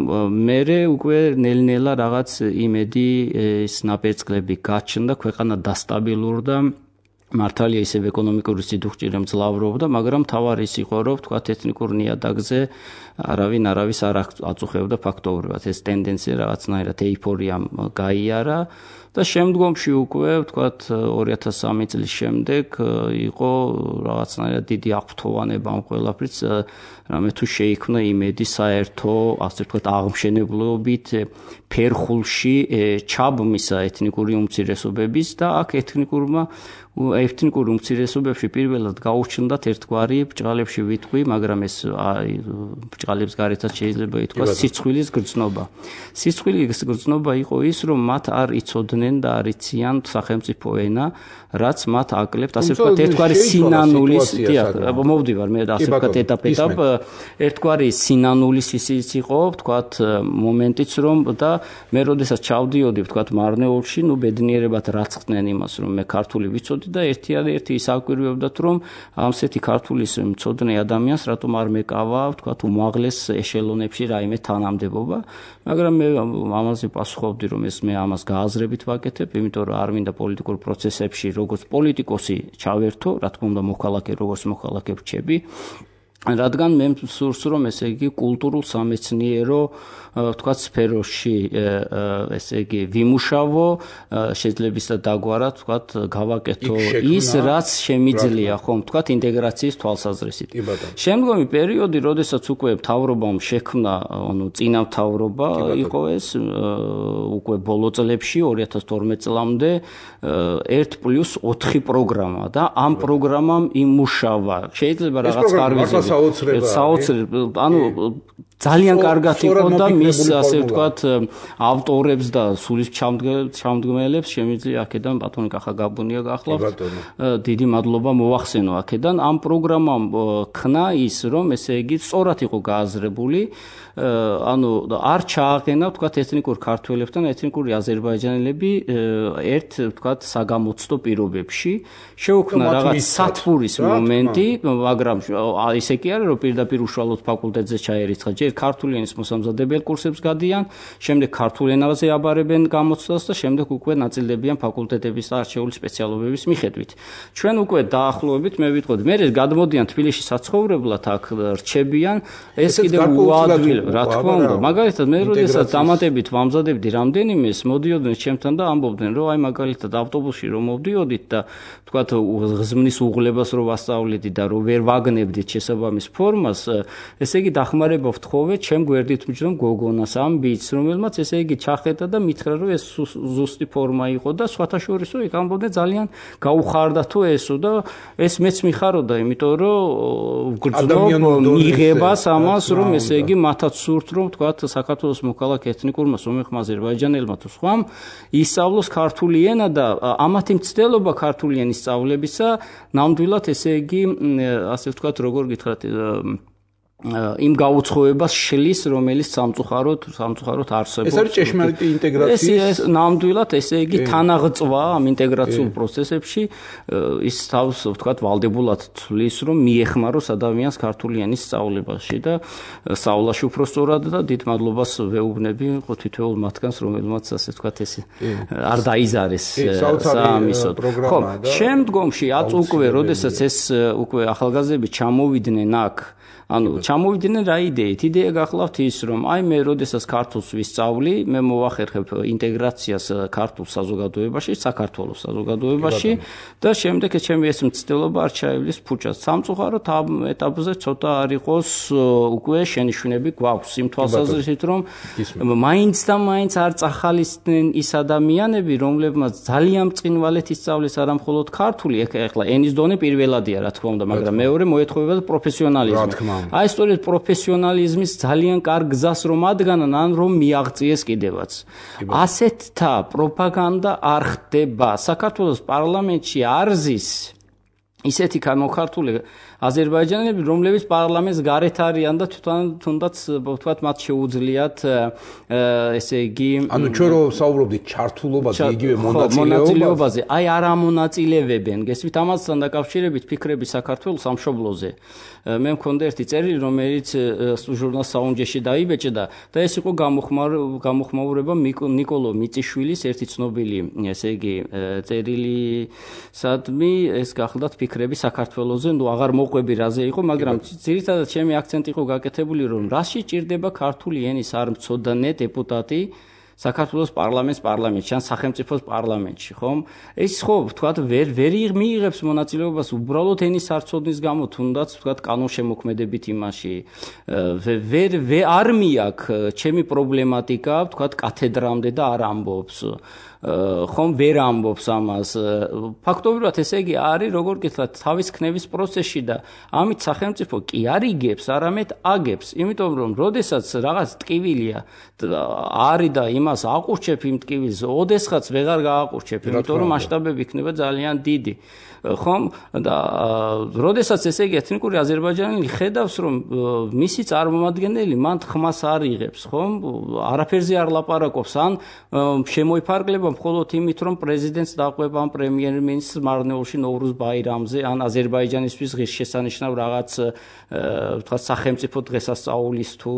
[SPEAKER 2] მერე უკვე ნელ-ნელა რაღაც იმედი ეს ნაპერწკლები გაჩნდა, ქვეყანა დასტაბილურდა, მართალია ისევ ეკონომიკური სიდუხჭირე მძლავრობდა, მაგრამ თავარი ის იყო, რომ თქვა ეთნიკურ ნიადაგზე არავინ არავის არ აწუხებდა ფაქტობრივად. ეს ტენდენცია რაღაცნაირად ეიფორიამ გაიარა და შემდგომში უკვე ვთქვათ 2003 წლის შემდეგ იყო რაღაცნაირად დიდი აღფრთოვანება ამ ყველაფრის რამე თუ შეიქმნა იმედი საერთო ასე ვთქვათ აღმშენებლობით ფერხულში ჩაბმისა ეთნიკური უმცირესობების და აქ ეთნიკურ უმცირესობებში პირველად გაუჩნდათ ერთგვარი ბჭყალებში ვიტყვი, მაგრამ ეს ბჭყალებს გარეთაც შეიძლება ითქვას სიცხვილის გრძნობა. სიცხვილის გრძნობა იყო ის, რომ მათ არ იცოდნენ და არ იციან სახელმწიფო ენა, რაც მათ აკლებთ, ასე ვთქვათ, ერთგვარი სინანულის, მოვდივარ მე ასე ვთქვათ ეტაპ ერთგვარი სინანულის ისიც იყო, ვთქვათ, მომენტიც რომ და მე როდესაც ჩავდიოდი, ვთქვათ, მარნეულში, ბედნიერებად რაცხდნენ იმას, რომ მე ქართული ვიცოდი და ერთი ის აკვირვებდათ, რომ ამსეთი ქართულის მცოდნე ადამიანს რატომ არ მეკავა, ვთქვათ, უმაღლეს ეშელონებში რაიმე თანამდებობა, მაგრამ მე ამაზე პასუხობდი, რომ მე ამას გააზრებით ვაკეთებ, იმიტომ რომ არ მინდა პოლიტიკურ პროცესებში როგორც პოლიტიკოსი ჩავერთო, რა თქმა უნდა მოქალაქე როგორც მოქალაქე ვჩები, რადგან მე სურს რომ ესე იგი კულტურულ სამეცნიერო ვთქვათ სფეროში ესე იგი ვიმუშავო შეძლებისა დაგვარად ვთქვათ გავაკეთო ის რაც შემიძლია ხომ ვთქვათ ინტეგრაციის თვალსაზრისით. შემდგომი პერიოდი, როდესაც უკვე მთავრობამ შექმნა, წინა მთავრობა იყო ეს უკვე ბოლო წლებში 2012 წლამდე 1+4 პროგრამა და ამ პროგრამამ იმუშავა. შეიძლება რაღაც კარგი საოცრება, ძალიან კარგად იყო და მის ასე ვთქვათ ავტორებს და სულის ჩამდგმელებს შემიძლია აქედან ბატონი კახაგაბუნია გახლავთ. დიდი მადლობა მოახსენო აქედან. ამ პროგრამამ ქნა ის, რომ ესე იგი სწორად იყო გააზრებული, არ ჩააყენა ვთქვათ ეთნიკურ ქართველებთან ეთნიკური აზერბაიჯანელები ერთ ვთქვათ საგამოცდო პირობებში. შეუქმნა რაღაც სათბურის მომენტი, მაგრამ ისე კი არა, რომ პირდაპირ უშუალოდ ფაკულტეტზე ჩაერიცხა. ჯერ ქართული ენის მოსამზადებელ კურსებს გადიან, შემდეგ ქართულ ენაზე აბარებენ გამოცდას და შემდეგ უკვე ნაწილდებიან ფაკულტეტების და არჩეული სპეციალობების მიხედვით. ჩვენ უკვე დაახლოებით მე ვიტყოდი, მე გადმოდიან თბილისში საცხოვრებლად აქ რჩებიან, ეს კიდევ უადვილ რა თქმა უნდა, მაგალითად მე როდესაც დამატებით ვამზადებდი რამდენიმეს, მოდიოდნენ ჩემთან და ამბობდნენ, რომ აი მაგალითად ავტობუსში რომ მოვდიოდით და თქვათ ღზმნის უღლებას რომ ვასწავლედი და რომ ვერ ვაგნებდით შესაბამის ფორმას, ესე იგი დახმარება ვთხოვეთ ჩემ გვერდით მჯდომ გოგონას ამ ბიჭს, რომელმაც ესე იგი ჩახედა და მითხრა, რომ ეს ზუსტი ფორმა იყო და სხვათა შორისო იქ ამბობდნენ ძალიან გაუხარდა თუ ესო და ეს მეც მიხაროდა, იმიტომ რომ ვგრძნობ მიღებას ამას, რომ ესე იგი მათაც სურთ რომ თქვათ საქართველოს მოქალაქე ეთნიკურმა სომეხმა აზერბაიჯანელმა თუ სხვამ ისწავლოს ქართული ენა და ამათი მცდელობა ქართული ენის სწავლებისა ნამდვილად ესე იგი ასე ვთქვათ როგორ გითხრათ იმ გაუცხოებას შლის, რომელიც სამწუხაროდ არსებობს.
[SPEAKER 1] ეს არის ჭეშმარიტი ინტეგრაციის.
[SPEAKER 2] ეს ნამდვილად, ესე იგი, თანაღწვა ამ ინტეგრაციულ პროცესებში ის თავს, ვთქვათ, ვალდებულად ცვლის, რომ მიეხმაროს ადამიანს ქართული ენის სწავლებაში და სწავლაში უფრო სწორად და დიდ მადლობას ვეუბნები თითოეულ მათგანს, რომელმაც ასე ვთქვათ, ეს არ დაიზარეს საამისოდ. ხო, შემდგომში აწ უკვე, როდესაც ეს უკვე ახალგაზრდები ჩამოვიდნენ აქ, ანუ ჩამოვიდნენ რა იდეით? იდეა გახლავთ ის, რომ აი მე როდესაც ქართულს ვისწავლი, მე მოვახერხებ ინტეგრაციას ქართულ საზოგადოებაში, საქართველოს საზოგადოებაში და შემდეგ ჩემი ეს მცდელობა არ ჩაივლის ფუჭას. სამწუხაროდ ამ ეტაპზე ცოტა არ იყოს უკვე შენიშვნები გვაქვს იმ თვალსაზრისით, რომ მაინც და მაინც არ წახალისდნენ ის ადამიანები, რომლებმაც ძალიან მწყინვალეთ ისწავლეს არა მხოლოდ ქართული, ეხლა ენის დონე პირველადია, რა თქმა უნდა, მაგრამ მეორე მოეთხოვება პროფესიონალიზმი. აი სწორედ პროფესიონალიზმის ძალიან კარგ გზას რომ ადგანან, ან რომ მიაღწიეს კიდევაც. ასეთთა პროპაგანდა არ ხდება. საქართველოს პარლამენტში არ ზის ისეთი განმოხართული აზერბაიჯანელები, რომლებიც პარლამენტს გარეთ არიან და თუნდაც ვთქვათ მათ შეუძლიათ ესე იგი
[SPEAKER 1] ანუ ჩვენ რო საუბრობდით ჩართულობაზე, იგივე მონაწილეობაზე,
[SPEAKER 2] აი არ ამონაწილევებენ. გესმით, ამასთან დაკავშირებით ფიქრები საქართველოს სამშობლოზე. მე მქონდა ერთი წერილი, რომელიც ჟურნალ საუნჯეში დაიბეჭდა და ეს იყო გამოხმაურება ნიკოლო მიწიშვილის ერთი ცნობილი, ესე იგი წერილისადმი, ეს გახლდათ ფიქრები საქართველოზე, ნუ აღარ მოყვები რაზე იყო, მაგრამ ძირითადად ჩემი აქცენტი იყო გაკეთებული, რომ რაში ჭირდება ქართული ენის არ მცოდნე დეპუტატი საქართველოს პარლამენტში, ან სახელმწიფოს პარლამენტში, ხომ? ეს ხო, ვთქვათ, ვერ მიიღებს მონაწილეობას უბრალოდ ენის არცოდნის გამო, თუნდაც, ვთქვათ, კანონშემოქმედებით იმაში. არ მიაქვს ჩემი პრობლემატიკა, ვთქვათ, კათედრამდე და არ ამბობს. ხომ ვერ ამბობს ამას. ფაქტობრივად ესე იგი არის, როგორ გითხრათ, თავის ქნევის პროცესში და ამით სახელმწიფო კი არ იგებს, არამედ აგებს, იმიტომ რომ როდესაც რაღაც ტკივილია არის და იმას აყურჩებ იმ ტკივილს, ოდესღაც ვეღარ გააყურჩებ, იმიტომ რომ მასშტაბები იქნება ძალიან დიდი. ხომ და როდესაც ესე იგი ეთნიკური აზერბაიჯანელი ხედავს, რომ მისი წარმომადგენელი მან ხმას არ იღებს, ხომ? არაფერზე არ ლაპარაკობს, ან შემოიფარგლება მხოლოდ იმით, რომ პრეზიდენტს დაყვება ამ პრემიერ-მინისტრს მარნეულში ნოვრუზ ბაირამზე, ან აზერბაიჯანისთვის ღირსშესანიშნავ რაღაც ვთქვათ სახელმწიფო დღესასწაულის თუ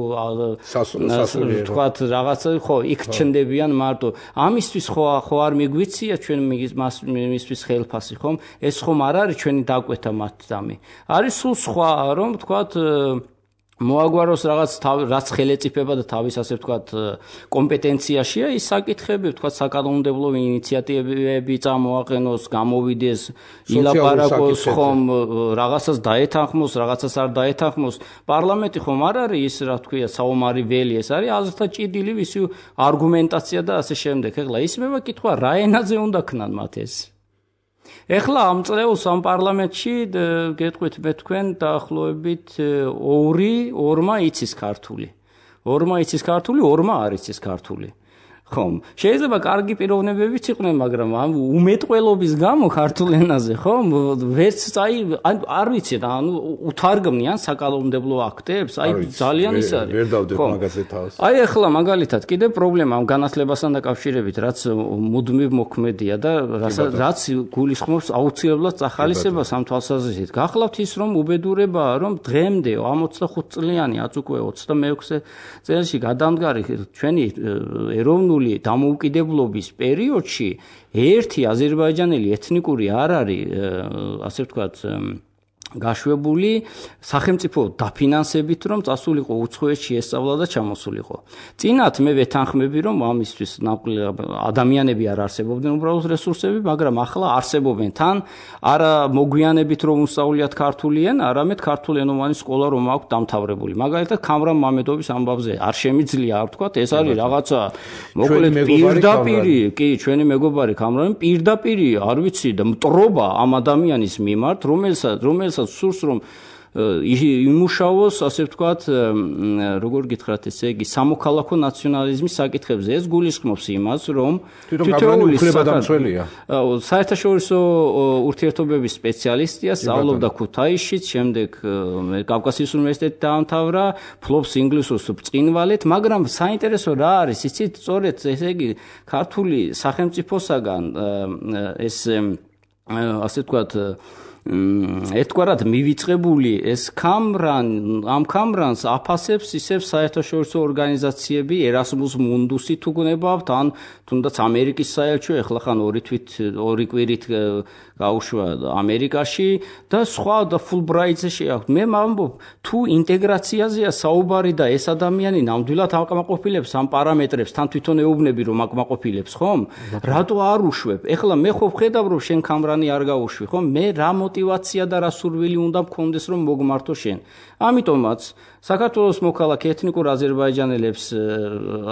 [SPEAKER 2] ვთქვათ რაღაც ხო იქ ჩნდებიან მარტო. ამისთვის ხო არ მიგვიცია ჩვენ მისთვის ხელფასი, ხომ? ეს ხომ არ არის ჩვენი დაკვეთა მათდამი. არის სულ სხვა, რომ ვთქვათ მოაგვაროს რაც ხელეწიფება და თავის ასე ვთქვათ კომპეტენციაშია ის საკითხები, ვთქვათ საკანონმდებლო ინიციატივები წამოაყენოს, გამოვიდეს, ილაპარაკოს, ხომ რაღაცას დაეთანხმოს, რაღაცას არ დაეთანხმოს. პარლამენტი ხომ არ არის ის, რა თქვია, საომარი ველი, ეს არის აზრთა ჭიდილი, ვისი არგუმენტაცია და ასე შემდეგ. ეხლა ისმება კითხვა, რა ენაზე უნდა ქნან მათ ეს? ეხლა ამ წელს ამ პარლამენტში გეტყვით მე თქვენ დაახლოებით 2-2 იცის ქართული. 2 იცის ქართული, 2 არ იცის ქართული. ხომ? შეიძლება კარგი პიროვნებებიც იყვნენ, მაგრამ ამ უმეტყველობის გამო ქართულ ენაზე, ხომ? ვერც არ ვიცი, ანუ უთარგმნიან საკანონმდებლო აქტებს, აი ძალიან ის არის.
[SPEAKER 1] ვერ დავდებ მაგაზე თავს.
[SPEAKER 2] აი ახლა მაგალითად კიდე პრობლემა ამ განათლებასთან დაკავშირებით, რაც მუდმივ მოქმედია და რაც გულისხმობს აუცილებლად წახალისებას ამ თვალსაზრისით. გახლავთ ის, რომ უბედურებაა, რომ დღემდე 25 წლიანი, აც უკვე 26 წელში გადამდგარი ჩვენი ეროვნული დამოუკიდებლობის პერიოდში ერთი აზერბაიჯანელი ეთნიკური არ არის, ასე ვთქვათ, გაშვებული სახელმწიფო დაფინანსებით, რომ წასულიყო უცხოეთში ესწავლა და ჩამოსულიყო. წინათ მე ვეთანხმები, რომ ამისთვის ადამიანები არ არსებობდნენ უბრალოდ რესურსები, მაგრამ ახლა არსებობენ. თან არა მოგვიანებით რომ უსწავლიათ ქართული ენა, არამედ ქართულენოვანი სკოლა რომ აქვს დამთავრებული. მაგალითად, ქამრამ მამედოვის ამბავზე არ შემიძლია არ ვთქვათ, ეს არის რაღაცა მოკლედ პირდაპირი, კი, ჩვენი მეგობარი ქამრამი პირდაპირი, არ ვიცი და მტრობა ამ ადამიანის მიმართ, რომელსაც სურს რომ იმუშაოს, ასე ვთქვათ, როგორ გითხრათ, ესე იგი, სამოქალაქო ნაციონალიზმის საკითხებზე. ეს გულისხმობს იმას, რომ
[SPEAKER 1] თითოეული უფლებადამცველია.
[SPEAKER 2] საერთაშორისო ურთიერთობების სპეციალისტია, სწავლობდა ქუთაისშიც, შემდეგ კავკასიის უნივერსიტეტი დაამთავრა, ფლობს ინგლისურს ბრწყინვალედ, მაგრამ საინტერესო რა არის, იცით, სწორედ ესე იგი, ქართული სახელმწიფოსაგან ეს ასე ვთქვათ ერთგვარად მივიწყებული ეს ამ კამრანს აფასებს ისევ საერთაშორისო ორგანიზაციები, ერასმუს მუნდუსი თუ გნებავთ, ან თუნდაც ამერიკის საელჩო, ეხლა ხან ორი კვირით გაუშვა ამერიკაში და სხვა და ფულბრაიტზე შეაქვთ. მე ვამბობ, თუ ინტეგრაციაზეა საუბარი და ეს ადამიანი ნამდვილად აკმაყოფილებს ამ პარამეტრებს, თან თვითონ ეუბნები რომ აკმაყოფილებს, ხომ? რატო არ უშვებ? ეხლა მე ხო ვხედავ რომ შენ კამრანი არ გაუშვი, ხომ? მე რა მოტივაცია და რა სურვილი უნდა მქონდეს რომ მოგმართო შენ. ამიტომაც საქართველოს მოქალაქე ეთნიკურ აზერბაიჯანელებს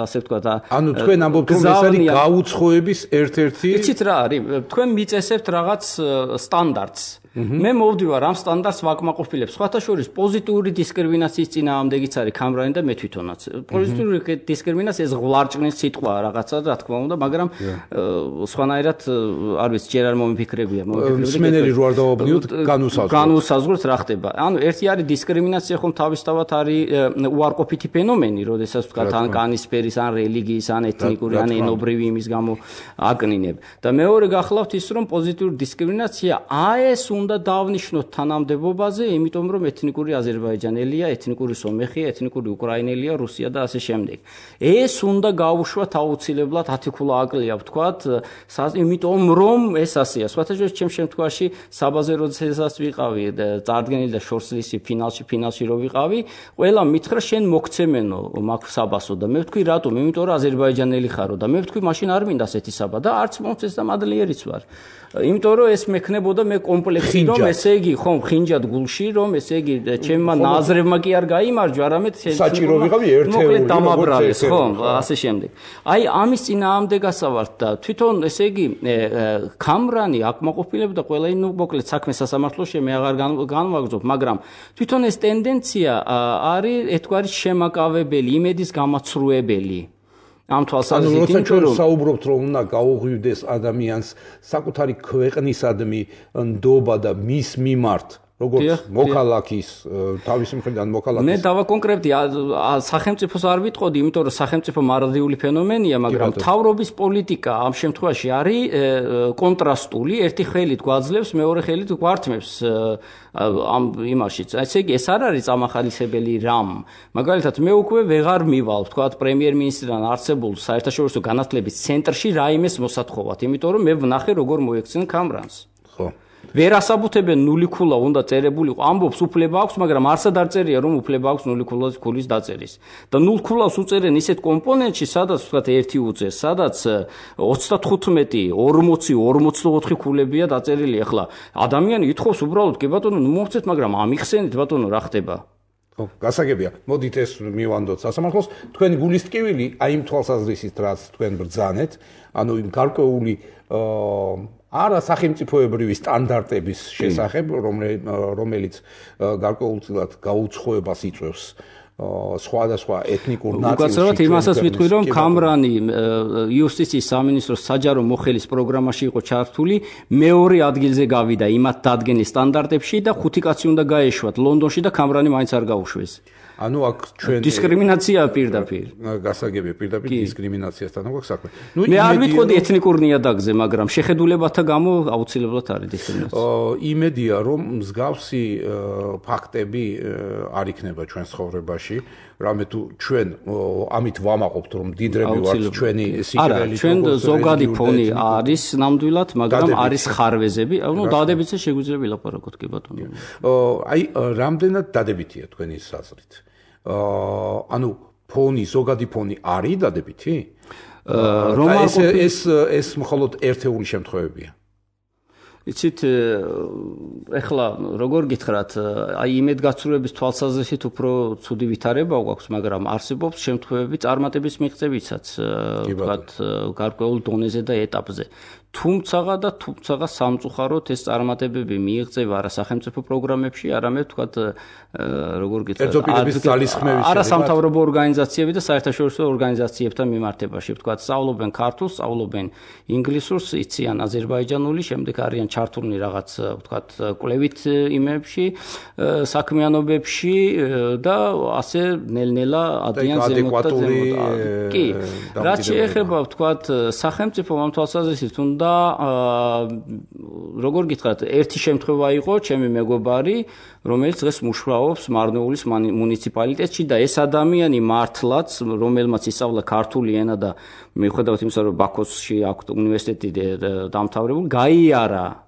[SPEAKER 2] ასე ვთქვათ,
[SPEAKER 1] ანუ თქვენ ამბობთ რომ ეს არის გაუცხოების ერთ-ერთი
[SPEAKER 2] იცით რა არის? თქვენ მიწესებთ რაღაც სტანდარტს. მე მოვდივარ ამ სტანდარტს ვაკმაყოფილებ. სხვათა შორის პოზიტიური დისკრიმინაციის წინააღმდეგიც არის კამრანი და მე თვითონაც. პოზიტიური დისკრიმინაცია ეს ღვარჭნის სიტყვაა რაღაცა, რა თქმა უნდა, მაგრამ სხვანაირად არ ვიცი, ჯერ არ მომიფიქრებია.
[SPEAKER 1] მსმენელი რო არ დავაბნიოთ,
[SPEAKER 2] განუსაზღვროთ რა ხდება. ანუ ერთი არის დისკრიმინაცია, ხომ თავისთავად არის უარყოფითი ფენომენი, როდესაც ვთქვათ, ან კანისფერის, ან რელიგიის, ან ეთნიკური, ან ენობრივი იმის გამო აკნინებ. და მეორე გახლავთ ის, რომ პოზიტიური დისკრიმინაცია ეს უნდა დავნიშნოთ თანამდებობაზე, იმიტომ რომ ეთნიკური აზერბაიჯანელია, ეთნიკური სომეხია, ეთნიკური უკრაინელია, რუსია და ასე შემდეგ. ეს უნდა გაუშვათ აუცილებლად 10 ქულა აკლია, ვთქვათ, იმიტომ რომ ეს ასეა. სხვათა შორის ჩემ შემთხვევაში საბაზე როდესაც ვიყავი, წარდგენილი და შორსლისი ფინალში რო ვიყავი, ყველა მითხრა შენ მოგცემენო მაგ საბასო და მე ვთქვი რატომ? იმიტომ რომ აზერბაიჯანელი ხარო და მე ვთქვი მაშინ არ მინდა ასეთი საბა და არც მომწეს და მადლიერიც ვარ. იმიტომ რომ ეს მექნებოდა მე კომპლექსი რომ ესე იგი ხომ ხინჯად გულში რომ ესე იგი ჩემმა ნაზრებმა კი არ გაიმარჯვა, არამედ
[SPEAKER 1] საჭირო ვიყავი ერთეული
[SPEAKER 2] დამაბრალეს, ხომ, ასე შემდეგ. აი ამის წინააღმდეგასა ვართ და თვითონ ესე იგი კამრანი აკმაყოფილებდა ყველა იმ მოკლედ საქმე სასამართლოში მე აღარ განვაგრძობ, მაგრამ თვითონ ეს ტენდენცია არის ერთგვარი შემაკავებელი, იმედის გამაცრუებელი. ამ თვალსაზრისით
[SPEAKER 1] იმიტომ რომ საუბრობთ რომ უნდა გაუღვივდეს ადამიანს საკუთარი ქვეყნისადმი ნდობა და მის მიმართ როგორც მოქალაქის თავის მხრიდან მოქალაქის
[SPEAKER 2] მე დავაკონკრეტდი სახელმწიფოს არ ვიტყოდი, იმიტომ რომ სახელმწიფო მარადიული ფენომენია, მაგრამ მთავრობის პოლიტიკა ამ შემთხვევაში არის კონტრასტული, ერთი ხელით გვაძლევს, მეორე ხელით გვართმევს ამ იმაშიც. ესე იგი ეს არ არის წამახალისებელი რამ. მაგალითად მე უკვე ვეღარ მივალ, ვთქვათ, პრემიერ-მინისტრთან არსებულ საერთაშორისო განათლების ცენტრში რაიმეს მოსათხოვად, იმიტომ რომ მე ვნახე როგორ მოექცნენ კამრანს.
[SPEAKER 1] ხო.
[SPEAKER 2] ვერ ასაბუთებენ 0 ქულა უნდა წერებული, ამბობს უფლება აქვს, მაგრამ არსად არ წერია რომ უფლება აქვს 0 ქულის დაწერის. და 0 ქულას უწერენ ისეთ კომპონენტში, სადაც ვთქვათ 1 უწეს, სადაც 35, 40, 44 ქულებია დაწერილი. ახლა ადამიანი ითხოვს უბრალოდ, კი ბატონო, მოვცეთ, მაგრამ ამიხსენით ბატონო, რა ხდება?
[SPEAKER 1] ხო, გასაგებია. მოდით ეს მივანდოთ სასამართლოს. თქვენი გულისტკივილი აი იმ თვალსაზრისით, რაც თქვენ ბრძანეთ, ანუ იმ გარკვეული არა სახელმწიფოებრივი სტანდარტების შესახებ, რომელიც გარკვეულწილად გაუცხოებას იწვევს სხვადასხვა ეთნიკურ ნაწილში.
[SPEAKER 2] უკაცრავად იმასაც ვიტყვი, რომ კამრანი იუსტიციის სამინისტროს საჯარო მოხელის პროგრამაში იყო ჩართული, მეორე ადგილზე გავიდა იმათ დადგენის სტანდარტებში და 5 კაცი უნდა გაეშვათ ლონდონში და კამრანი მაინც არ გაუშვეს.
[SPEAKER 1] ანუ აქ ჩვენ
[SPEAKER 2] დისკრიმინაცია პირდაპირ.
[SPEAKER 1] გასაგებია პირდაპირ დისკრიმინაციასთან აქვს საქმე.
[SPEAKER 2] მე არ ვიტყოდი ეთნიკურ ნიადაგზე, მაგრამ შეხედულებათა გამო აუცილებლად არის დისკრიმინაცია.
[SPEAKER 1] იმედია რომ მსგავსი ფაქტები არ იქნება ჩვენ ცხოვრებაში. რამე თუ ჩვენ ამით ვამაყობთ რომ დიდრები ვართ ჩვენი სიკვდილი
[SPEAKER 2] ჩვენ ზოგადი ფონი არის ნამდვილად, მაგრამ არის ხარვეზები, ანუ დადებითზე შეგვიძლია ვილაპარაკოთ, კი ბატონო.
[SPEAKER 1] აი რამდენად დადებითია თქვენი საზრით? ანუ ფონი, ზოგადი ფონი არის დადებითი? ეს მხოლოდ ერთეული შემთხვევებია.
[SPEAKER 2] იცით, ეხლა როგორ გითხრათ, აი იმედგაცრუების თვალსაზრისით უფრო ცუდი ვითარება გვაქვს, მაგრამ არსებობს შემთხვევები წარმატების მიღწევისაც, ვთქვათ, გარკვეულ დონეზე და ეტაპზე. თუმცა სამწუხაროდ ეს წარმატებები მიიღწევა არა სახელმწიფო პროგრამებში, არამედ ვთქვათ, როგორ გითხრათ, არასამთავრობო ორგანიზაციები და საერთაშორისო ორგანიზაციებთან მიმართებაში, ვთქვათ, სწავლობენ ქართულს, სწავლობენ ინგლისურს, იციან აზერბაიჯანული, შემდეგ არიან ჩართულნი რაღაც, ვთქვათ, კვლევით იმებში, საქმიანობებში და ასე ნელ-ნელა ადიან ზემოთ და ზემოთ. კი, რაც შეეხება, ვთქვათ, სახელმწიფო თვალსაზრისით უნდა როგორ გითხრათ, ერთი შემთხვევა იყო, ჩემი მეგობარი, რომელიც დღეს მუშაობს მარნეულის მუნიციპალიტეტში და ეს ადამიანი მართლაც, რომელმაც ისწავლა ქართული ენა და მიუხედავად იმისა, რომ ბაქოსში აქვს უნივერსიტეტი დამთავრებული, გაიარა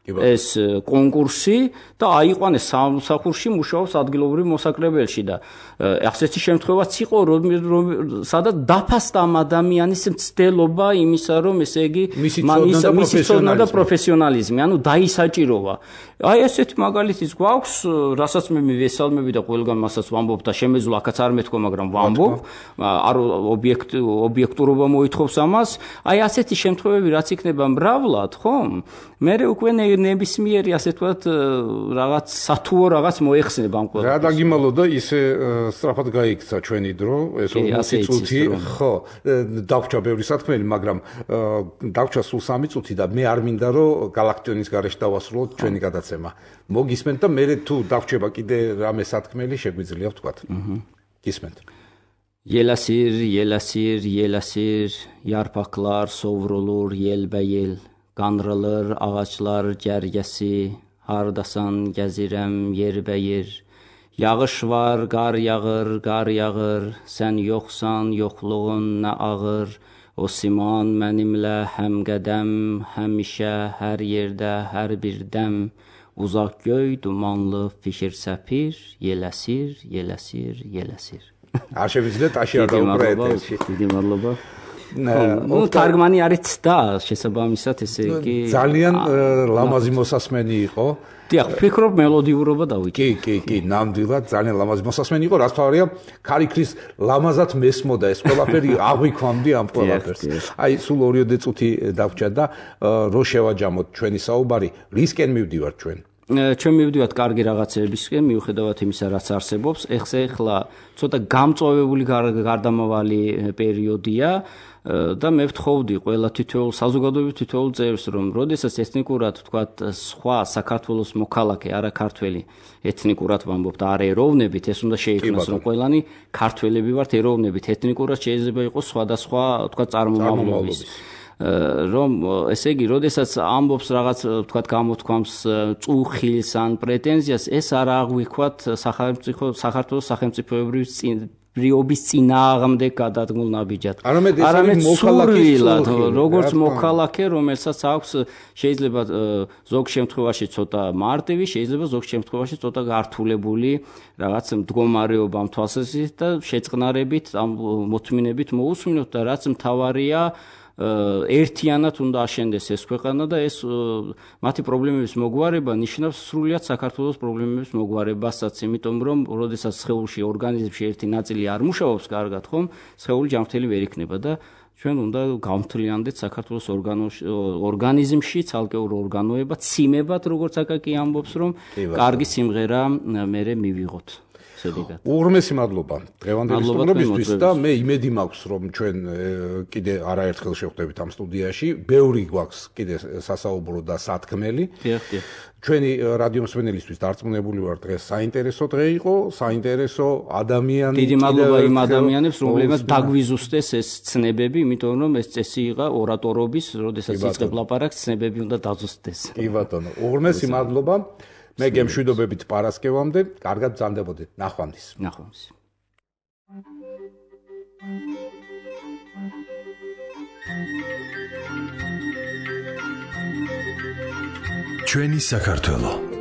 [SPEAKER 2] ეს კონკურსი და აიყვანეს სამსახურში, მუშაობს ადგილობრივ მოსაკრებელში და ასეთი შემთხვევაც იყო, სადაც დაფასდა ამ ადამიანის მცდელობა იმისა, რომ ესე იგი მისი ცოდნა და პროფესიონალიზმი, ანუ დაისაჭიროვა. აი ესეთი მაგალითიც გვაქვს, რასაც მე მივესალმები და ყველგან მასაც ვამბობ და შემეძლო აქაც არ მეთქვა, მაგრამ ვამბობ, არ ობიექტურობა მოითხოვს ამას. აი ასეთი შემთხვევები რაც იქნება მრავლად, ხომ? მე უკვე ნებისმიერი ასე ვთქვათ რაღაც სათუო რაღაც მოეხსნება ამ ყველაფერს.
[SPEAKER 1] რა დაგიმალო და ისე სწრაფად გაიქცა ჩვენი დრო, ეს 40 წუთი, ხო, დაგვჭა ბევრი სათქმელი, მაგრამ დაგვჭა სულ 3 წუთი და მე არ მინდა რომ გალაქტიონის გარეშე დავასრულოთ ჩვენი გადაცემა. მოგისმენთ და მე თუ დაგვჭება კიდე რამე სათქმელი შეგვიძლია ვთქვათ. გისმენთ.
[SPEAKER 2] Yelasir, yelasir, yelasir, yarpaqlar sovrulur yelbəyel. Qanrılır ağaçlar cərgəsi, hardasan gəzirəm yerbəyer. Yağış var, qar yağır, sən yoxsan, yoxluğun nə ağır. O siman mənimlə həm qədəm, həmişə, hər yerdə, hər bir dəm. Uzaq göy, dumanlı fikir səpir, yeləsir, yeləsir, yeləsir.
[SPEAKER 1] არ შევიძლიათ აში არ დაუბრუნდეთ.
[SPEAKER 2] დიდი მადლობა. ნუ თარგმანი არის და შესაბამისად ესე იგი
[SPEAKER 1] ძალიან ლამაზი მოსასმენი იყო.
[SPEAKER 2] დიახ, ვფიქრობ მელოდიურობა დავიჭი.
[SPEAKER 1] კი, ნამდვილად ძალიან ლამაზი მოსასმენი იყო, რაც თავარია, ქარიქრის ლამაზად მესმოდა ეს ყველაფერი აღვიქვამდი ამ ყველაფერს. აი, სულ 2 წუთი დავჭა და რო შევაჯამოთ ჩვენი საუბარი, რისკენ მივდივართ ჩვენ?
[SPEAKER 2] ჩვენ მივდივართ კარგი რაღაცებისკენ, მიუხედავად იმისა, რაც არსებობს. ეხლა ცოტა გამწვავებული გარდამავალი პერიოდია და მე ვთხოვდი ყველა თითოეულ საზოგადოების თითოეულ წევრს, რომ როდესაც ეთნიკურად, ვთქვათ, სხვა საქართველოს მოქალაქე, არა ქართველი, ეთნიკურად ვამბობთ, არ ეროვნებით, ეს უნდა შეიქმნას, რომ ყველანი ქართველები ვართ ეროვნებით, ეთნიკურად შეიძლება იყოს სხვადასხვა, ვთქვათ, წარმომავლობის. რომ ესე იგი, როდესაც ამბობს რაღაც, ვთქვათ, გამოთქვამს წუხილს ან პრეტენზიას, ეს არ აღვიქვათ საქართველოს სახელმწიფოებრივ ბრიობის წინააღმდეგ გადადგმულ ნაბიჯად. არამედ სულვილად, როგორც მოქალაქე, რომელსაც აქვს შეიძლება ზოგ შემთხვევაში ცოტა მარტივი, შეიძლება ზოგ შემთხვევაში ცოტა გართულებული რაღაც მდგომარეობა ამ თვალსაზრისით და შეწყნარებით, ამ მოთმინებით მოусმინოთ და რაც მთავარია ერთიანად უნდა აშენდეს ეს ქვეყანა და ეს მათი პრობლემების მოგვარება ნიშნავს სრულიად საქართველოს პრობლემების მოგვარებასაც, იმიტომ რომ როდესაც სხეულში ორგანიზმში ერთი ნაწილი არ მუშაობს კარგად, ხომ, სხეული ჯანმრთელი ვერ იქნება და ჩვენ უნდა გავმთლიანდეთ საქართველოს ორგანიზმში ცალკეულ ორგანოებად, სიმებად, როგორც აკაკი ამბობს, რომ კარგი სიმღერა მერე მივიღოთ.
[SPEAKER 1] უღრმესი მადლობა დღევანდელი სტუმრობისთვის და მე იმედი მაქვს, რომ ჩვენ კიდე არაერთხელ შევხვდებით ამ სტუდიაში. ბევრი გვაქვს კიდე სასაუბრო და სათქმელი. ჩვენი რადიომსმენელისთვის დარწმუნებული ვარ, დღეს საინტერესო დღე იყო, საინტერესო ადამიანი.
[SPEAKER 2] დიდი მადლობა იმ ადამიანებს, რომლებმაც დაგვიზუსტეს ეს ცნებები, იმიტომ რომ ეს წესი იყო ორატორობის, როდესაც იწყებ ლაპარაკს, ცნებები უნდა დაზუსტდეს.
[SPEAKER 1] კი ბატონო, უღრმესი მადლობა. მე გემშვიდობებით პარასკევამდე, კარგად ბრძანდებოდეთ. ნახვამდის.
[SPEAKER 2] ნახვამდის.
[SPEAKER 5] ჩვენი საქართველო